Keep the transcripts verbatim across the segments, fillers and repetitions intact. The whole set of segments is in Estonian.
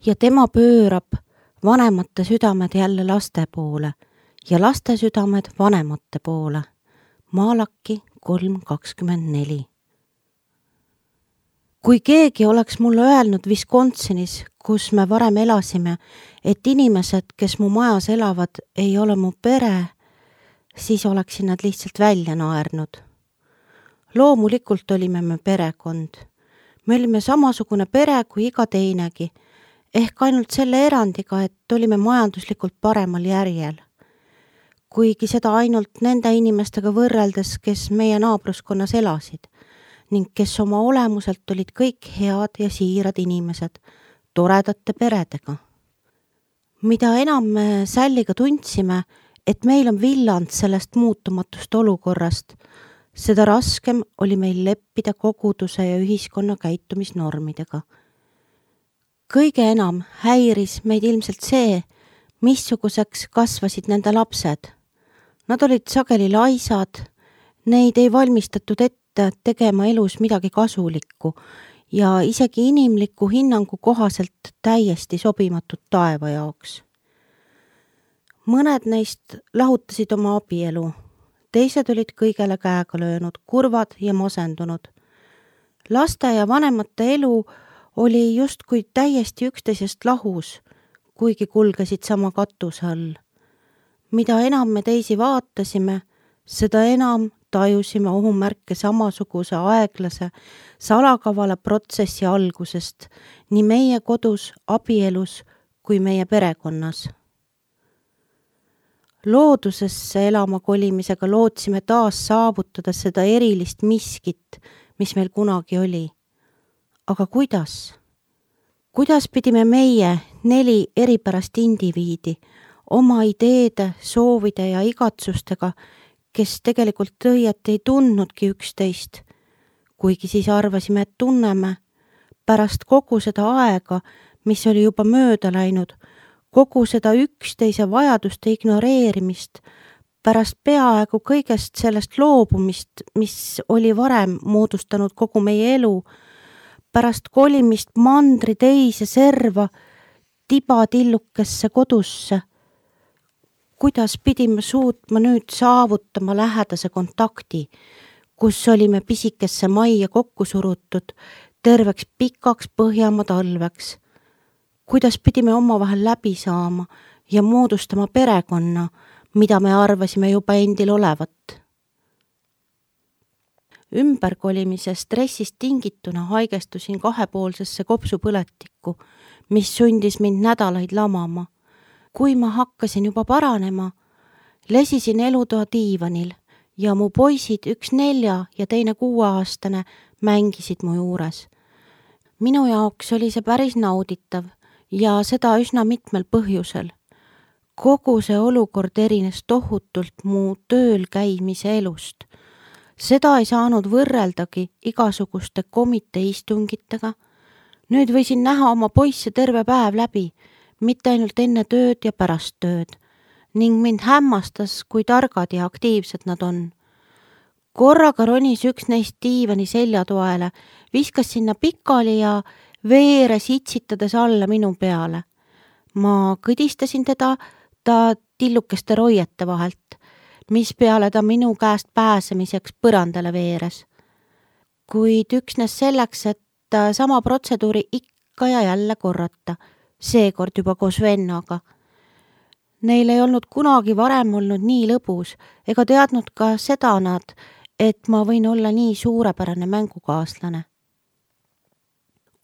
ja tema pöörab vanemate südamed jälle laste poole ja laste südamed vanemate poole. Malaki kolm kakskümmend neli. Kui keegi oleks mulle öelnud Wisconsinis, kus me varem elasime, et inimesed, kes mu majas elavad, ei ole mu pere, siis oleksin nad lihtsalt välja naernud. Loomulikult olime me perekond. Me olime samasugune pere kui iga teinegi, ehk ainult selle erandiga, et olime majanduslikult paremal järjel. Kuigi seda ainult nende inimestega võrreldes, kes meie naabruskonnas elasid ning kes oma olemuselt olid kõik head ja siirad inimesed, toredate peredega. Mida enam me Sälliga tundsime, et meil on villand sellest muutumatust olukorrast, seda raskem oli meil leppida koguduse ja ühiskonna käitumisnormidega. Kõige enam häiris meid ilmselt see, missuguseks kasvasid nende lapsed. Nad olid sageli laisad, neid ei valmistatud ette tegema elus midagi kasulikku ja isegi inimliku hinnangu kohaselt täiesti sobimatud taeva jaoks. Mõned neist lahutasid oma abielu, teised olid kõigele käega löönud, kurvad ja masendunud. Laste ja vanemate elu oli justkui täiesti üksteisest lahus, kuigi kulgesid sama katuse all. Mida enam me teisi vaatasime, seda enam tajusime ohumärke samasuguse aeglase, salakavala protsessi algusest nii meie kodus, abielus kui meie perekonnas. Loodusesse elama kolimisega lootsime taas saavutada seda erilist miskit, mis meil kunagi oli. Aga kuidas? Kuidas pidime meie neli eripärast indiviidi oma ideede, soovide ja igatsustega, kes tegelikult õieti ei tundnudki üksteist, kuigi siis arvasime, et tunneme, pärast kogu seda aega, mis oli juba mööda läinud, kogu seda üksteise vajaduste ignoreerimist, pärast peaaegu kõigest sellest loobumist, mis oli varem moodustanud kogu meie elu, pärast kolimist mandri teise serva, tibatillukesse kodusse. Kuidas pidime suutma nüüd saavutama lähedase kontakti, kus olime pisikesse majja kokku surutud terveks pikaks Põhjamaa talveks? Kuidas pidime omavahel läbi saama ja moodustama perekonna, mida me arvasime juba endil olevat? Ümberkolimise stressist tingituna haigestusin kahepoolsesse kopsupõletikku, mis sundis mind nädalaid lamama. Kui ma hakkasin juba paranema, lesisin elutoa diivanil ja mu poisid üks nelja ja teine kuueaastane mängisid mu juures. Minu jaoks oli see päris nauditav ja seda üsna mitmel põhjusel. Kogu see olukord erines tohutult mu tööl käimise elust. Seda ei saanud võrreldagi igasuguste komitee istungitega. Nüüd võisin näha oma poisse terve päev läbi, mitte ainult enne tööd ja pärast tööd, ning mind hämmastas, kui targad ja aktiivsed nad on. Korraga ronis üks neist diivani seljatoele, viskas sinna pikali ja veeres itsitades alla minu peale. Ma kõdistasin teda ta tillukeste roiete vahelt, mis peale ta minu käest pääsemiseks põrandale veeres. Kuid üksnes selleks, et sama protseduuri ikka ja jälle korrata, seekord juba koos vennaga. Neil ei olnud kunagi varem olnud nii lõbus, ega teadnud ka seda nad, et ma võin olla nii suurepärane mängukaaslane.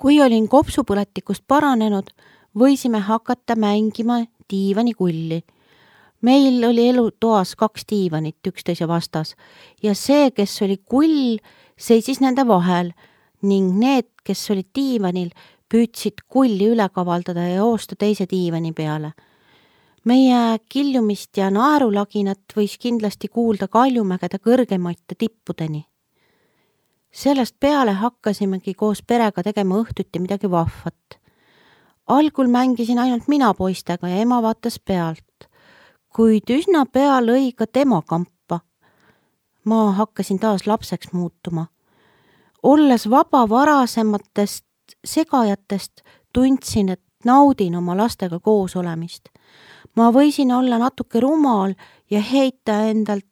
Kui olin kopsupõletikust paranenud, võisime hakata mängima diivanikulli. Meil oli elutoas kaks diivanit üksteise vastas ja see, kes oli kull, seisis nende vahel ning need, kes olid diivanil, püüdsid kulli üle kavaldada ja joosta teise diivani peale. Meie kiljumist ja naerulaginat võis kindlasti kuulda Kaljumägede kõrgemaite tippudeni. Sellest peale hakkasimegi koos perega tegema õhtuti midagi vahvat. Algul mängisin ainult mina poistega ja ema vaatas pealt, kuid üsna pea lõi ka tema kampa. Ma hakkasin taas lapseks muutuma. Olles vaba varasematest segajatest, tundsin, et naudin oma lastega koos olemist. Ma võisin olla natuke rumal ja heita endalt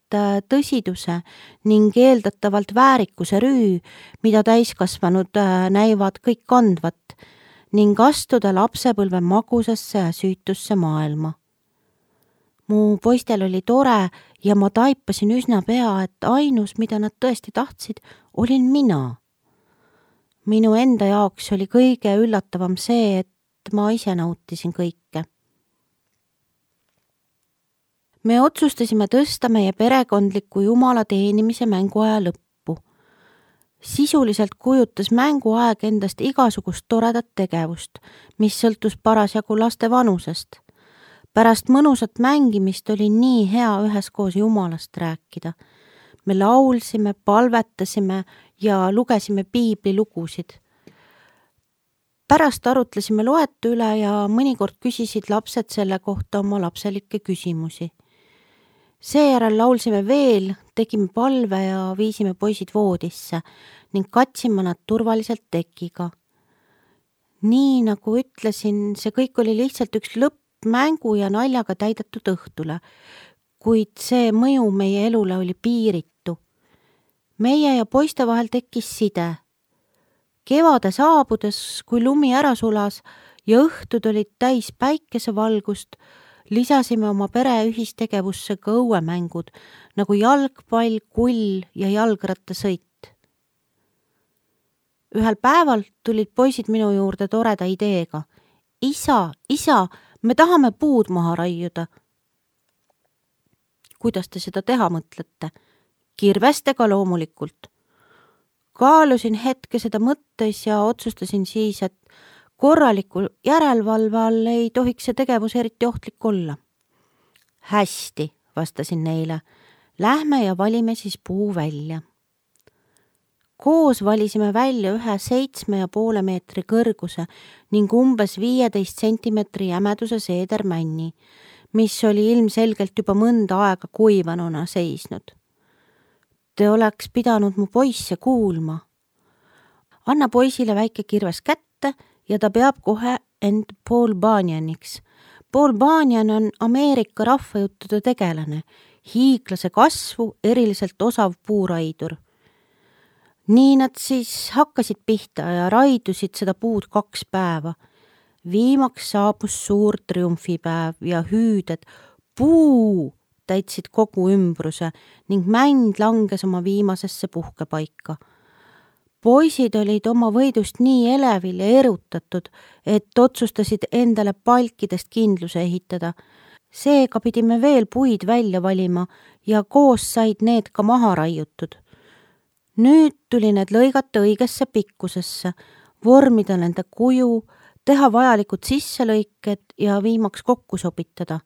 tõsiduse ning eeldatavalt väärikuse rüü, mida täiskasvanud näivad kõik kandvat, ning astuda lapsepõlve magusasse ja süütusse maailma. Mu poistel oli tore ja ma taipasin üsna pea, et ainus, mida nad tõesti tahtsid, olin mina. Minu enda jaoks oli kõige üllatavam see, et ma ise nautisin kõike. Me otsustasime tõsta meie perekondliku jumala teenimise mänguaja lõppu. Sisuliselt kujutas mänguaeg endast igasugust toredat tegevust, mis sõltus parasjagu laste vanusest. Pärast mõnusat mängimist oli nii hea üheskoos jumalast rääkida. Me laulsime, palvetasime ja lugesime piiblilugusid. Pärast arutlesime loetu üle ja mõnikord küsisid lapsed selle kohta oma lapselikke küsimusi. Seejärel laulsime veel, tegime palve ja viisime poisid voodisse ning katsime nad turvaliselt tekiga. Nii nagu ütlesin, see kõik oli lihtsalt üks lõpp mängu ja naljaga täidetud õhtule, kuid see mõju meie elule oli piiritu. Meie ja poiste vahel tekkis side. Kevade saabudes, kui lumi ära sulas ja õhtud olid täis päikesevalgust, lisasime oma pere ühistegevusse ka õuemängud, nagu jalgpall, kull ja jalgrattasõit. Ühel päeval tulid poisid minu juurde toreda ideega. Isa, isa, me tahame puud maha raiuda. Kuidas te seda teha mõtlete? Kirvestega loomulikult. Kaalusin hetke seda mõttes ja otsustasin siis, et korraliku järelevalve all ei tohiks see tegevus eriti ohtlik olla. Hästi, vastasin neile. Lähme ja valime siis puu välja. Koos valisime välja ühe seitsme ja poole meetri kõrguse ning umbes viieteist sentimetri jämeduse seedermänni, mis oli ilmselgelt juba mõnda aega kuivanuna seisnud. Te oleks pidanud mu poisse kuulma. Anna poisile väike kirves kätte ja ta peab kohe end Paul Bunjaniks. Paul Bunjan on Ameerika rahvajuttude tegelane, hiiglase kasvu, eriliselt osav puuraidur. Nii nad siis hakkasid pihta ja raidusid seda puud kaks päeva. Viimaks saabus suur triumfipäev ja hüüded puu täitsid kogu ümbruse ning mänd langes oma viimasesse puhkepaika. Poisid olid oma võidust nii elevil ja erutatud, et otsustasid endale palkidest kindluse ehitada. Seega pidime veel puid välja valima ja koos said need ka maha raiutud. Nüüd tuli need lõigata õigesse pikkusesse, vormida nende kuju, teha vajalikud sisselõiked ja viimaks kokku sobitada.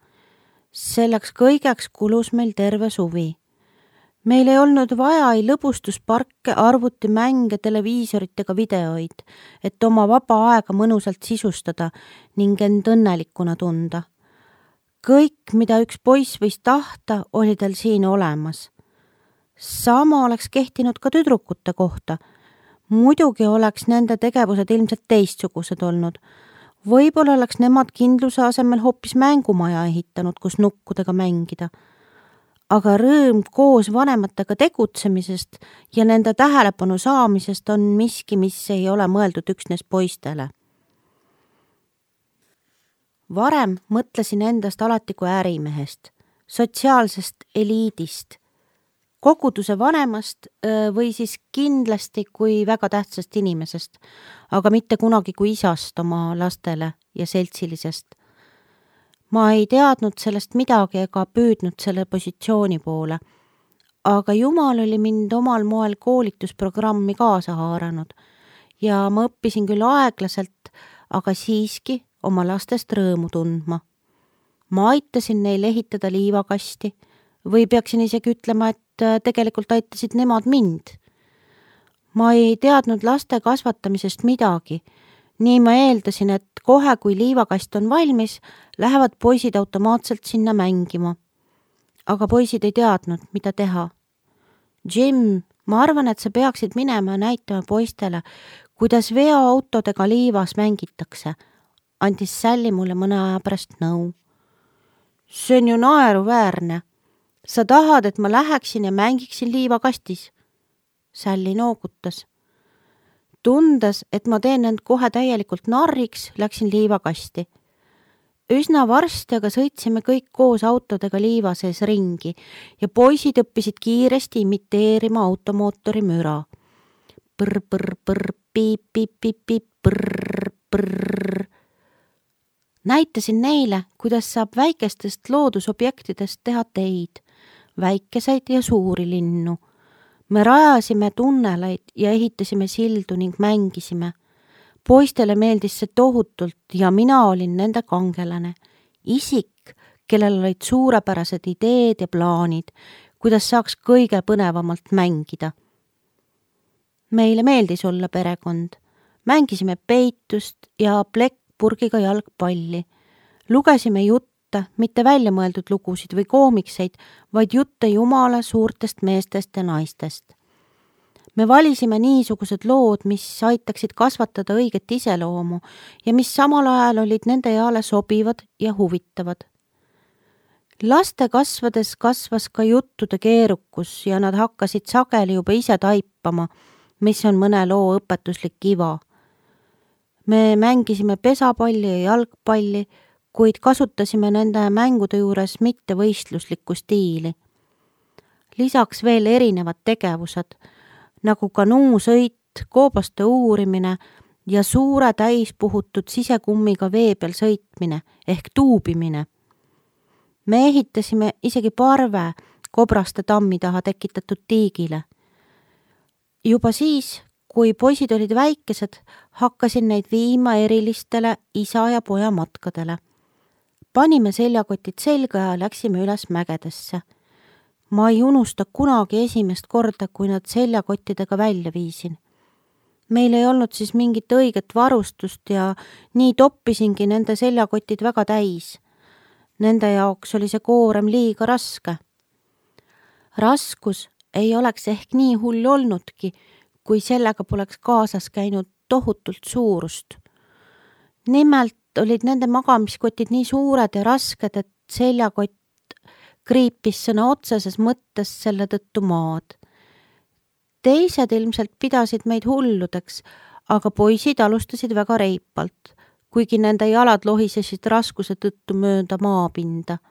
Selleks kõigeks kulus meil terve suvi. Meil ei olnud vaja ei lõbustusparke, arvutimänge, televiisoritega videoid, et oma vaba aega mõnusalt sisustada ning end õnnelikuna tunda. Kõik, mida üks poiss võis tahta, oli tal siin olemas. Sama oleks kehtinud ka tüdrukute kohta. Muidugi oleks nende tegevused ilmselt teistsugused olnud. Võib-olla oleks nemad kindluse asemel hoopis mängumaja ehitanud, kus nukkudega mängida. Aga rõõm koos vanematega tegutsemisest ja nende tähelepanu saamisest on miski, mis ei ole mõeldud üksnes poistele. Varem mõtlesin endast alati kui ärimehest, sotsiaalsest eliidist, koguduse vanemast või siis kindlasti kui väga tähtsast inimesest, aga mitte kunagi kui isast oma lastele ja seltsilisest. Ma ei teadnud sellest midagi ega püüdnud selle positsiooni poole, aga Jumal oli mind omal moel koolitusprogrammi kaasa haaranud ja ma õppisin küll aeglaselt, aga siiski oma lastest rõõmu tundma. Ma aitasin neil ehitada liivakasti või peaksin isegi ütlema, et tegelikult aitasid nemad mind. Ma ei teadnud laste kasvatamisest midagi. Nii ma eeldasin, et kohe kui liivakast on valmis, lähevad poisid automaatselt sinna mängima. Aga poisid ei teadnud, mida teha. Jim, ma arvan, et sa peaksid minema ja näitama poistele, kuidas veoautodega liivas mängitakse. andis Sally mulle mõne aja pärast nõu. See on ju naeruväärne. Sa tahad, et ma läheksin ja mängiksin liivakastis? Sally noogutas. Tundes, et ma teen end kohe täielikult narriks, läksin liivakasti. Üsna varsti aga sõitsime kõik koos autodega liiva sees ringi ja poisid õppisid kiiresti imiteerima automootori müra. Põr, põr, põr, piip, piip, piip, piip, põr, põr. Näitasin neile, kuidas saab väikestest loodusobjektidest teha teid, väikeseid ja suuri linnu. Me rajasime tunneleid ja ehitasime sildu ning mängisime. Poistele meeldis see tohutult ja mina olin nende kangelane. Isik, kellel olid suurepärased ideed ja plaanid, kuidas saaks kõige põnevamalt mängida. Meile meeldis olla perekond. Mängisime peitust ja plekkpurgiga jalgpalli. Lugesime jutte, mitte väljamõeldud lugusid või koomikseid, vaid jutte jumala suurtest meestest ja naistest. Me valisime niisugused lood, mis aitaksid kasvatada õiget iseloomu ja mis samal ajal olid nende eale sobivad ja huvitavad. Laste kasvades kasvas ka juttude keerukus ja nad hakkasid sageli juba ise taipama, mis on mõne loo õpetuslik iva. Me mängisime pesapalli ja jalgpalli, kuid kasutasime nende mängude juures mitte võistluslikku stiili. Lisaks veel erinevad tegevused, nagu kanuusõit, koobaste uurimine ja suure täispuhutud sisekummiga vee peal sõitmine ehk tuubimine. Me ehitasime isegi parve kobraste tammi taha tekitatud tiigile. Juba siis, kui poisid olid väikesed, hakkasin neid viima erilistele isa ja poja matkadele. Panime seljakotid selga ja läksime üles mägedesse. Ma ei unusta kunagi esimest korda, kui nad seljakottidega välja viisin. Meil ei olnud siis mingit õiget varustust ja nii toppisingi nende seljakotid väga täis. Nende jaoks oli see koorem liiga raske. Raskus ei oleks ehk nii hull olnudki, kui sellega poleks kaasas käinud tohutult suurust. Nimelt olid nende magamiskotid nii suured ja rasked, et seljakott kriipis sõna otseses mõttes selle tõttu maad. Teised ilmselt pidasid meid hulludeks, aga poisid alustasid väga reipalt, kuigi nende jalad lohisesid raskuse tõttu mööda maapinda.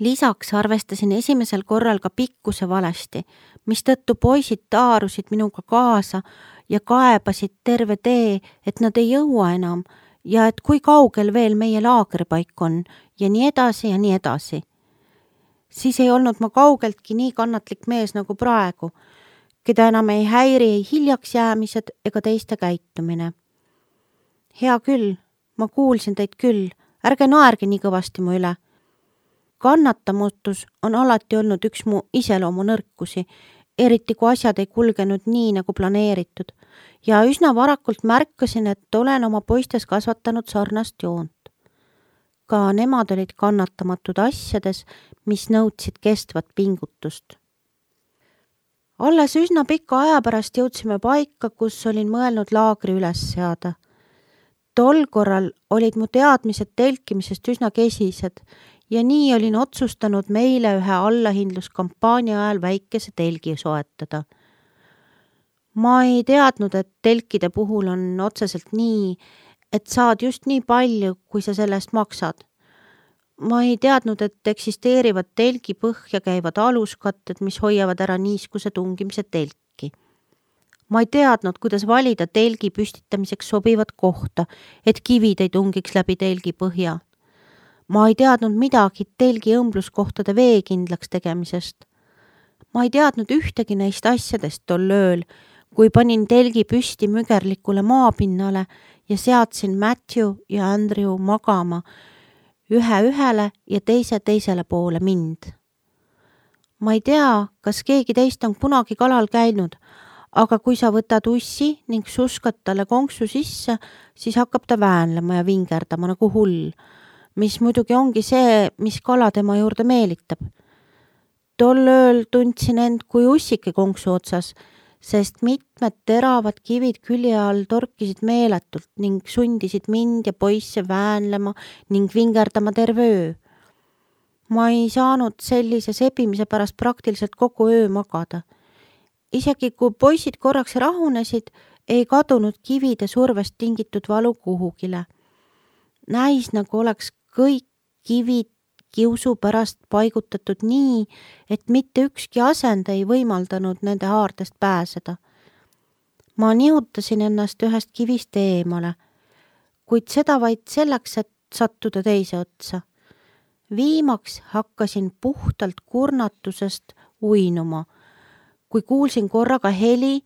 Lisaks arvestasin esimesel korral ka pikkuse valesti, mis tõttu poisid taarusid minuga kaasa ja kaebasid terve tee, et nad ei jõua enam ja et kui kaugel veel meie laagripaik on ja nii edasi ja nii edasi. Siis ei olnud ma kaugeltki nii kannatlik mees nagu praegu, keda enam ei häiri ei hiljaks jäämised ega teiste käitumine. Hea küll, ma kuulsin teid küll, ärge naerge nii kõvasti mu üle. Kannatamutus on alati olnud üks mu iseloomu nõrkusi, eriti kui asjad ei kulgenud nii nagu planeeritud ja üsna varakult märkasin, et olen oma poistes kasvatanud sarnast joont. Ka nemad olid kannatamatud asjades, mis nõudsid kestvat pingutust. Alles üsna pika aja pärast jõudsime paika, kus olin mõelnud laagri üles seada. Tol korral olid mu teadmised telkimisest üsna kesised ja nii olin otsustanud meile ühe allahindluskampaania ajal väikese telgi soetada. Ma ei teadnud, et telkide puhul on otseselt nii, et saad just nii palju, kui sa sellest maksad. Ma ei teadnud, et eksisteerivad telgi põhja käivad aluskatted, mis hoiavad ära niiskuse tungimise telki. Ma ei teadnud, kuidas valida telgi püstitamiseks sobivat kohta, et kivid ei tungiks läbi telgi põhja. Ma ei teadnud midagi telgi õmbluskohtade veekindlaks tegemisest. Ma ei teadnud ühtegi neist asjadest tol ööl, kui panin telgi püsti mügerlikule maapinnale ja seadsin Matthew ja Andrew magama ühe ühele ja teise teisele poole mind. Ma ei tea, kas keegi teist on kunagi kalal käinud, aga kui sa võtad ussi ning suskad talle konksu sisse, siis hakkab ta väänlema ja vingerdama nagu hull, mis muidugi ongi see, mis kala tema juurde meelitab. Tol ööl tundsin end kui ussike konksu otsas, sest mitmed teravad kivid külje all torkisid meeletult ning sundisid mind ja poisse väänlema ning vingerdama terve öö. Ma ei saanud sellise sebimise pärast praktiliselt kogu öö magada. Isegi kui poisid korraks rahunesid, ei kadunud kivide survest tingitud valu kuhugile. Näis nagu oleks kõik kivid kiusu pärast paigutatud nii, et mitte ükski asend ei võimaldanud nende haardest pääseda. Ma nihutasin ennast ühest kivist eemale, kuid seda vaid selleks, et sattuda teise otsa. Viimaks hakkasin puhtalt kurnatusest uinuma, kui kuulsin korraga heli,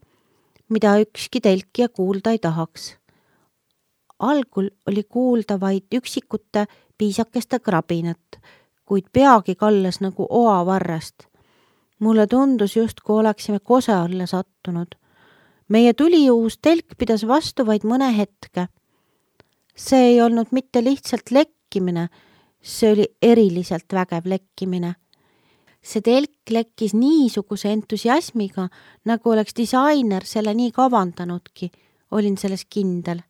mida ükski telkija kuulda ei tahaks. Algul oli kuulda vaid üksikute piisakeste krabinat, kuid peagi kallas nagu oavarrest. Mulle tundus just, kui oleksime kose alla sattunud. Meie tuliuus telk pidas vastu vaid mõne hetke. See ei olnud mitte lihtsalt lekkimine, see oli eriliselt vägev lekkimine. See telk lekkis niisuguse entusiasmiga, nagu oleks disainer selle nii kavandanudki, olin selles kindel.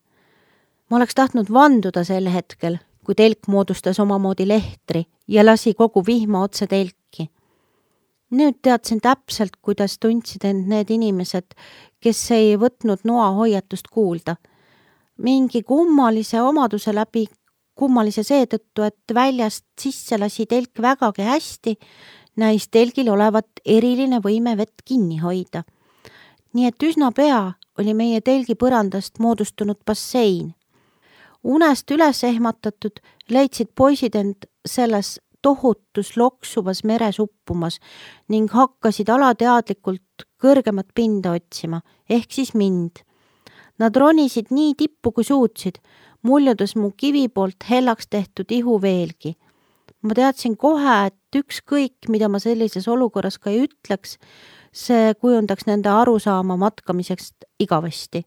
Ma oleks tahtnud vanduda sel hetkel, kui telk moodustas omamoodi lehtri ja lasi kogu vihma otse telki. Nüüd teadsin täpselt, kuidas tundsid end need inimesed, kes ei võtnud noa hoiatust kuulda. Mingi kummalise omaduse läbi, kummalise seetõttu, et väljast sisse lasi telk vägagi hästi, näis telgil olevat eriline võime vett kinni hoida. Nii et üsna pea oli meie telgi põrandast moodustunud bassein. Unest üles ehmatatud leidsid poisid end selles tohutus loksuvas meres uppumas ning hakkasid alateadlikult kõrgemat pinda otsima, ehk siis mind. Nad ronisid nii tippu, kui suutsid, muljudes mu kivi poolt hellaks tehtud ihu veelgi. Ma teadsin kohe, et ükskõik, mida ma sellises olukorras ka ei ütleks, see kujundaks nende arusaama matkamiseks igavesti.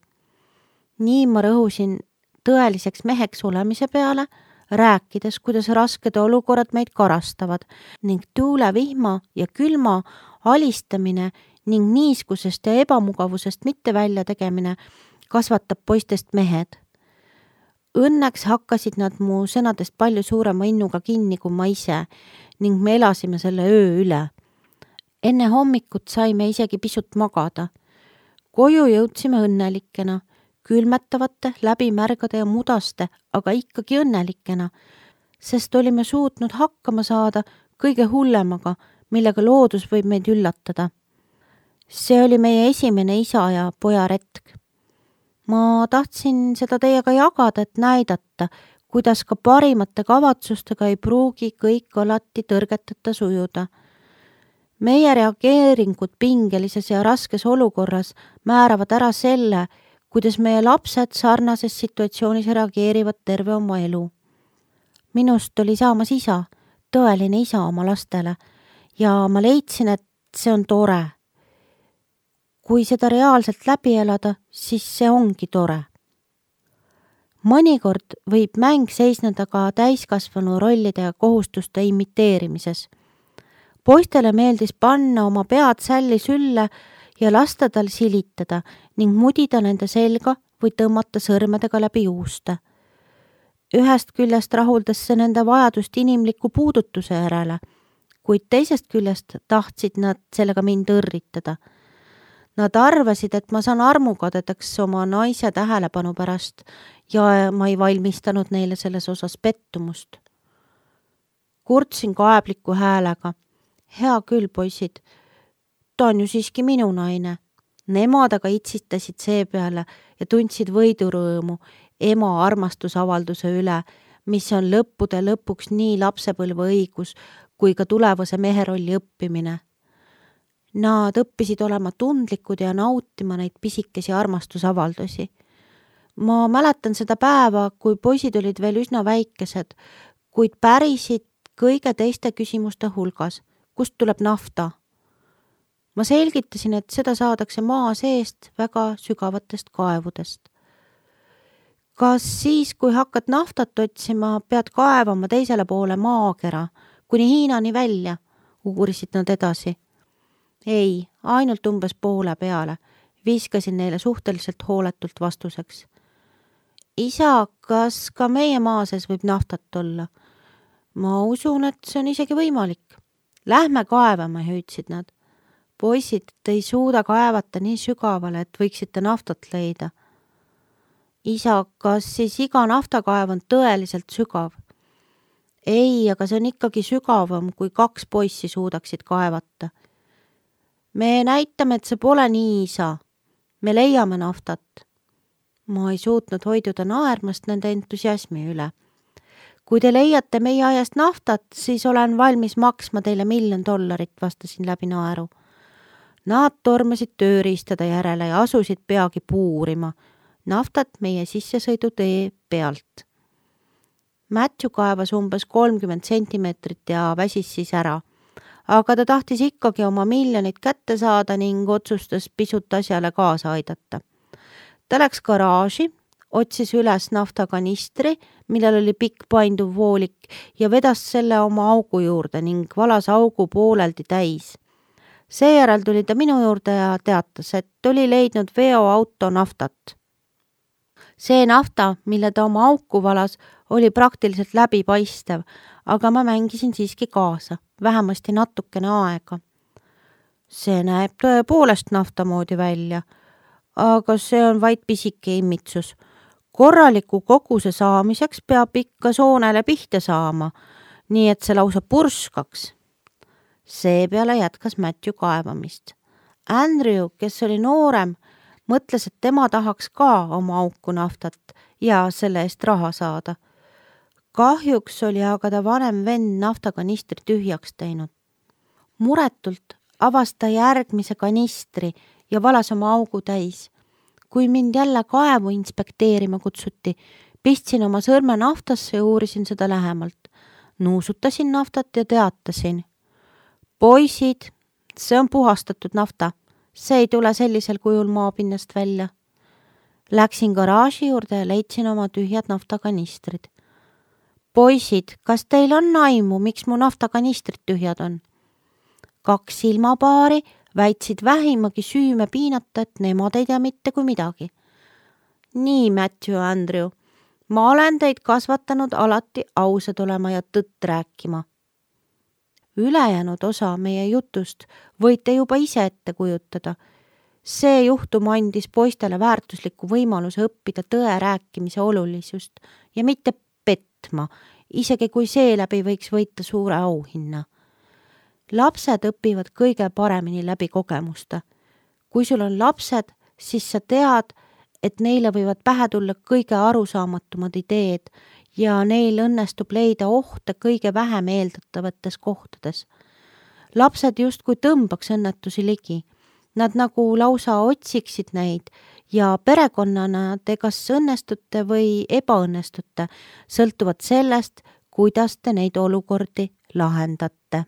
Nii ma rõhusin tõeliseks meheks olemise peale, rääkides, kuidas rasked olukorrad meid karastavad ning tuule, vihma ja külma alistamine ning niiskusest ja ebamugavusest mitte välja tegemine kasvatab poistest mehed. Õnneks hakkasid nad mu sõnadest palju suurema innuga kinni kui ma ise ning me elasime selle öö üle. Enne hommikut saime isegi pisut magada. Koju jõudsime õnnelikena, külmetavate, läbimärgade ja mudaste, aga ikkagi õnnelikena, sest olime suutnud hakkama saada kõige hullemaga, millega loodus võib meid üllatada. See oli meie esimene isa ja poja retk. Ma tahtsin seda teiega jagada, et näidata, kuidas ka parimate kavatsustega ei pruugi kõik alati tõrgeteta sujuda. Meie reageeringud pingelises ja raskes olukorras määravad ära selle, kuidas meie lapsed sarnases situatsioonis reageerivad terve oma elu. Minust oli saamas isa, tõeline isa oma lastele ja ma leidsin, et see on tore. Kui seda reaalselt läbi elada, siis see ongi tore. Mõnikord võib mäng seisneda ka täiskasvanu rollide ja kohustuste imiteerimises. Poistele meeldis panna oma pead sälli sülle ja lasta tal silitada ning mudida nende selga või tõmmata sõrmedega läbi juuste. Ühest küljest rahuldas see nende vajadust inimliku puudutuse järele, kuid teisest küljest tahtsid nad sellega mind õrritada. Nad arvasid, et ma saan armukadedaks oma naise tähelepanu pärast ja ma ei valmistanud neile selles osas pettumust. Kurtsin kaebliku häälega. Hea küll, poisid, ta on ju siiski minu naine. Nemad aga itsitasid seepeale ja tundsid võidurõõmu ema armastusavalduse üle, mis on lõppude lõpuks nii lapsepõlve õigus kui ka tulevase mehe rolli õppimine. Nad õppisid olema tundlikud ja nautima neid pisikesi armastusavaldusi. Ma mäletan seda päeva, kui poisid olid veel üsna väikesed, kuid pärisid kõige teiste küsimuste hulgas. Kust tuleb nafta? Ma selgitasin, et seda saadakse maa seest väga sügavatest kaevudest. Kas siis, kui hakkad naftat otsima, pead kaevama teisele poole maakera, kuni Hiinani välja, uurisid nad edasi. Ei, ainult umbes poole peale. viskasin neile suhteliselt hooletult vastuseks. Isa, kas ka meie maa sees võib naftat olla? Ma usun, et see on isegi võimalik. Lähme kaevama, hüüdsid nad. Poisid, te ei suuda kaevata nii sügavale, et võiksite naftat leida. Isa, kas siis iga naftakaev on tõeliselt sügav? Ei, aga see on ikkagi sügavam, kui kaks poissi suudaksid kaevata. Me näitame, et see pole nii, isa. Me leiame naftat. Ma ei suutnud hoiduda naermast nende entusiasmi üle. Kui te leiate meie ajast naftat, siis olen valmis maksma teile miljon dollarit, vastasin läbi naeru. Nad tormasid tööriistada järele ja asusid peagi puurima naftat meie sissesõidutee pealt. Matthew kaevas umbes kolmkümmend sentimeetrit ja väsis siis ära, aga ta tahtis ikkagi oma miljonit kätte saada ning otsustas pisut asjale kaasa aidata. Ta läks garaaži, otsis üles naftakanistri, millel oli pikk painduv voolik ja vedas selle oma augu juurde ning valas augu pooleldi täis. Seejärel tuli ta minu juurde ja teatas, et oli leidnud veoauto naftat. See nafta, mille ta oma auku valas, oli praktiliselt läbipaistev, aga ma mängisin siiski kaasa, vähemasti natukene aega. See näeb tõepoolest nafta moodi välja, aga see on vaid pisike imitsus. Korraliku koguse saamiseks peab ikka soonele pihta saama, nii et see lausa purskaks. Seepeale jätkas Matthew kaevamist. Andrew, kes oli noorem, mõtles, et tema tahaks ka oma auku naftat ja selle eest raha saada. Kahjuks oli aga ta vanem vend naftakanistri tühjaks teinud. Muretult avas ta järgmise kanistri ja valas oma augu täis. Kui mind jälle kaevu inspekteerima kutsuti, pistsin oma sõrme naftasse ja uurisin seda lähemalt. Nuusutasin naftat ja teatasin. Poisid, see on puhastatud nafta. See ei tule sellisel kujul maapinnast välja. Läksin garaaži juurde ja leidsin oma tühjad naftakanistrid. Poisid, kas teil on aimu, miks mu naftakanistrid tühjad on? Kaks silmapaari väitsid vähimagi süüme piinata, et nemad ei tea mitte kui midagi. Nii, Matthew ja Andrew, ma olen teid kasvatanud alati ausad olema ja tõtt rääkima. Ülejäänud osa meie jutust võite juba ise ette kujutada. See juhtum andis poistele väärtusliku võimaluse õppida tõe rääkimise olulisust ja mitte petma, isegi kui seeläbi võiks võita suure auhinna. Lapsed õpivad kõige paremini läbi kogemuste. Kui sul on lapsed, siis sa tead, et neile võivad pähe tulla kõige arusaamatumad ideed ja neil õnnestub leida ohte kõige vähem eeldatavates kohtades. Lapsed justkui tõmbaks õnnetusi ligi. Nad nagu lausa otsiksid neid ja perekonnana te kas õnnestute või ebaõnnestute, sõltuvad sellest, kuidas te neid olukordi lahendate.